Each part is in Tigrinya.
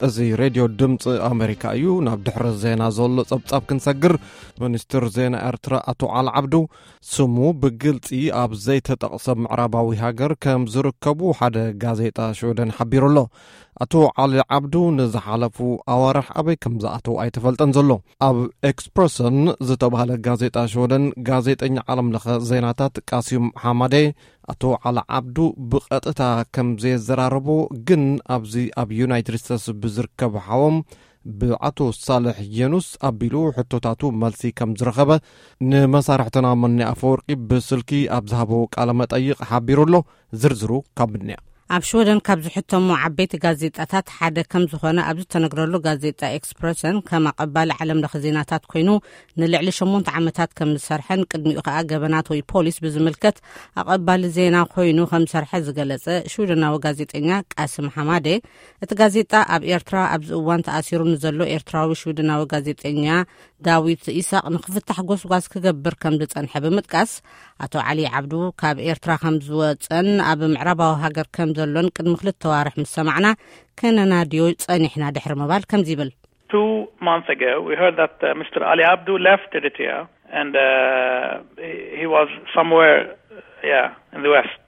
እዚ ሬድዮ ድምፂ ኣሜሪካ እዩ። ናብ ድሕሪ ዜና ዘሎ ጸብጻብ ክንሰግር፣ ሚኒስትር ዜና ኤርትራ ኣቶ ዓሊ ዓብዱ ስሙ ብግልጺ ኣብ ዘይተጠቕሰ ምዕራባዊ ሃገር ከም ዝርከቡ ሓደ ጋዜጣ ሽወደን ሓቢሩ ኣሎ። ኣቶ ዓሊ ዓብዱ ንዝሓለፉ ኣዋርሕ ኣበይ ከም ዝኣተው ኣይተፈልጠን ዘሎ። ኣብ ኤክስፕረሰን ዝተባህለ ጋዜጣ ሽወደን፣ ጋዜጠኛ ዓለም ለኸ ዜናታት ቃሲም ሓማዴ ኣቶ ዓሊ ዓብዱ ብቐጥታ ከም ዘየዘራረቦ፣ ግን ኣብዚ ኣብ ዩናይትድ ስቴትስ ብዝርከብ ሓዎም ብኣቶ ሳልሕ የኑስ ኣቢሉ ሕቶታቱ መልሲ ከም ዝረኸበ ንመሳርሕትና መኒ ኣፈወርቂ ብስልኪ ኣብ ዝሃቦ ቃለ መጠይቕ ሓቢሩ ኣሎ። ዝርዝሩ ካብ ምንያ። ኣብ ሽወደን ካብ ዝሕተሙ ዓበይቲ ጋዜጣታት ሓደ ከም ዝኾነ ኣብ ዝተነግረሉ ጋዜጣ ኤክስፕረሰን ከም ኣቐባሊ ዓለም ለኸ ዜናታት ኮይኑ ንልዕሊ ሸሞንተ ዓመታት ከም ዝሰርሐን ቅድሚኡ ከኣ ገበናት ወይ ፖሊስ ብዝምልከት ኣቐባሊ ዜና ኮይኑ ከም ዝሰርሐ ዝገለጸ ሽወደናዊ ጋዜጠኛ ቃስም ሓማዴ፣ እቲ ጋዜጣ ኣብ ኤርትራ ኣብዚ እዋን ተኣሲሩ ንዘሎ ኤርትራዊ ሽወደናዊ ጋዜጠኛ ዳዊት ኢሳቕ ንክፍታሕ ጎስጓስ ክገብር ከም ዝጸንሐ ብምጥቃስ፣ ኣቶ ዓሊ ዓብዱ ካብ ኤርትራ ከም ዝወጸን ኣብ ምዕራባዊ ሃገር ከም ዘሎን ቅድሚ ክልተ ዋርሕ ምስ ሰማዕና፣ ከነናድዮ ጸኒሕና ድሕሪ ምባል ከምዚ ይብል። Two months ago, we heard that uh, Mister Ali Abdu left Eritrea and uh, he, he was somewhere, yeah, in the West.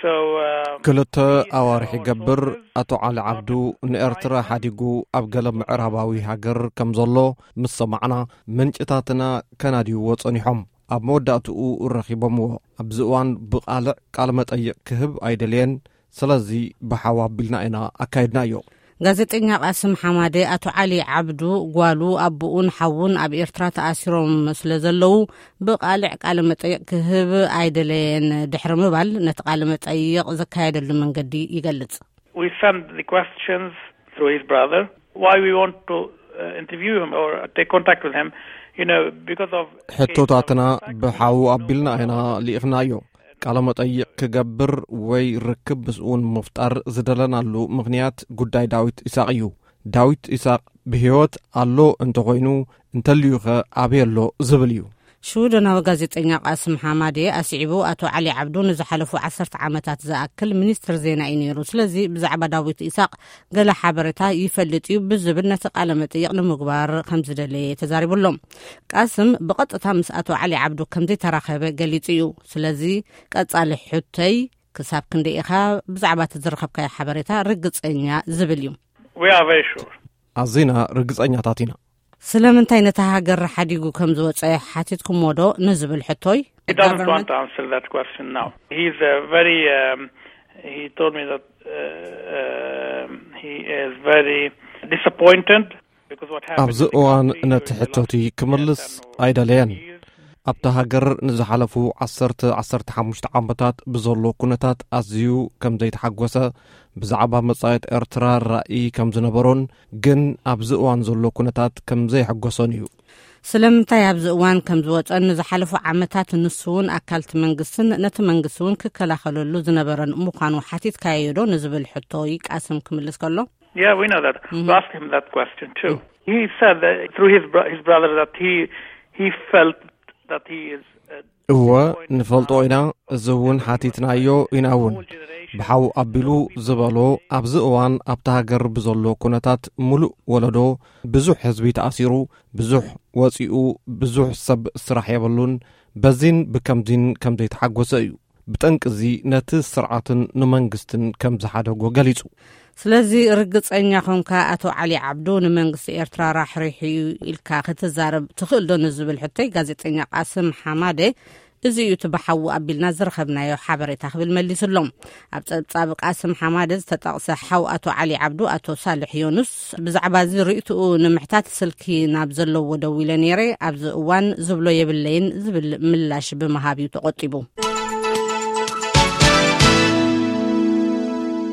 So, uh, ክልተ ኣዋርሕ ይገብር፣ ኣቶ ዓሊ ዓብዱ ንኤርትራ ሓዲጉ ኣብ ገለ ምዕራባዊ ሃገር ከም ዘሎ ምስ ሰማዕና፣ ምንጭታትና ከናድይዎ ጸኒሖም። ኣብ መወዳእትኡ ረኺቦምዎ። ኣብዚ እዋን ብቓልዕ ቃለ መጠይቕ ክህብ ኣይደልየን። ስለዚ ብሓው ኣቢልና ኢና ኣካይድናዮ። ጋዜጠኛ ቃስም ሓማደ፣ ኣቶ ዓሊ ዓብዱ ጓሉ፣ ኣቦኡን ሓውን ኣብ ኤርትራ ተኣሲሮም ስለ ዘለዉ ብቓልዕ ቃለ መጠይቕ ክህብ ኣይደለየን ድሕሪ ምባል፣ ነቲ ቃለ መጠይቕ ዘካየደሉ መንገዲ ይገልጽ። We send the questions through his brother. Why we want to uh, interview him or take contact with him, you know, because of ሕቶታትና ብሓው ኣቢልና ኢና ልኢኽናዮ። ቃለ መጠይቕ ክገብር ወይ ርክብ ምስኡ ንምፍጣር ዝደለናሉ ምኽንያት ጉዳይ ዳዊት ኢሳቕ እዩ። ዳዊት ኢሳቕ ብህይወት ኣሎ እንተኾይኑ፣ እንተልዩኸ ኣበይ ኣሎ ዝብል እዩ። ሽወደናዊ ጋዜጠኛ ቃስም ሓማዴ ኣስዒቡ፣ ኣቶ ዓሊ ዓብዱ ንዝሓለፉ ዓሰርተ ዓመታት ዝኣክል ሚኒስትር ዜና እዩ ነይሩ። ስለዚ ብዛዕባ ዳዊት ኢሳቕ ገለ ሓበሬታ ይፈልጥ እዩ ብዝብል ነቲ ቃለ መጠይቕ ንምግባር ከም ዝደለየ ተዛሪቡ ኣሎ። ቃስም ብቐጥታ ምስ ኣቶ ዓሊ ዓብዱ ከም ዘይተራኸበ ገሊጹ እዩ። ስለዚ ቀጻሊ ሕቶይ፣ ክሳብ ክንደይ ኢኻ ብዛዕባ እቲ ዝረኸብካዮ ሓበሬታ ርግጸኛ ዝብል እዩ። We are very sure. ኣዚና ርግጸኛታት ኢና። ስለምንታይ ነታ ሃገር ሓዲጉ ከም ዝወጸ ሓቲትኩምዎ ዶ ንዝብል ሕቶይ፣ He doesn't want to answer that question now. He's uh, very. Um, he told me that uh, um, he is very disappointed because what happened ኣብዚ in the እዋን country ነቲ during the ሕቶቲ last ክምልስ ten or ኣይደለየን። Years. ኣብታ ሃገር ንዝሓለፉ ዓሰርተ ዓሰርተ ሓሙሽተ ዓመታት ብዘሎ ኩነታት ኣዝዩ ከም ዘይተሓጎሰ፣ ብዛዕባ መጻኢት ኤርትራ ራእይ ከም ዝነበሮን ግን ኣብዚ እዋን ዘሎ ኩነታት ከም ዘይሕጎሶን እዩ። ስለምንታይ ኣብዚ እዋን ከም ዝወጸን ንዝሓለፉ ዓመታት ንሱ እውን ኣካልቲ መንግስትን ነቲ መንግስቲ እውን ክከላኸለሉ ዝነበረን ምዃኑ ሓቲትካዮ ዶ ንዝብል ሕቶ ቃስም ክምልስ ከሎ፣ Yeah, we know that. We asked him that question too. He said that through his bro- his brother that he he felt that he is. Uh, እወ፣ ንፈልጦ ኢና። እዚ እውን ሓቲትናዮ ኢና እውን። ብሓው ኣቢሉ ዝበሎ፣ ኣብዚ እዋን ኣብታ ሃገር ብዘሎ ኩነታት ምሉእ ወለዶ፣ ብዙሕ ህዝቢ ተኣሲሩ፣ ብዙሕ ወጺኡ፣ ብዙሕ ሰብ ስራሕ የብሉን። በዚን ብከምዚን ከም ዘይተሓጎሰ እዩ። ብጠንቅዚ ነቲ ስርዓትን ንመንግስትን ከም ዝሓደጎ ገሊጹ። ስለዚ ርግጸኛ ኮንካ ኣቶ ዓሊ ዓብዱ ንመንግስቲ ኤርትራ ራሕሪሑ እዩ ኢልካ ክትዛረብ ትኽእል ዶ ንዝብል ሕቶይ፣ ጋዜጠኛ ቃስም ሓማደ፣ እዚ እዩ እቲ ብሓዊ ኣቢልና ዝረኸብናዮ ሓበሬታ ክብል መሊሱሎም። ኣብ ጸብጻብ ቃስም ሓማደ ዝተጠቕሰ ሓው ኣቶ ዓሊ ዓብዱ፣ ኣቶ ሳልሕ ዮኑስ፣ ብዛዕባ እዚ ርእይትኡ ንምሕታት ስልኪ ናብ ዘለዎ ደዊለ ነይረ። ኣብዚ እዋን ዝብሎ የብለይን ዝብል ምላሽ ብምሃብ እዩ ተቖጢቡ።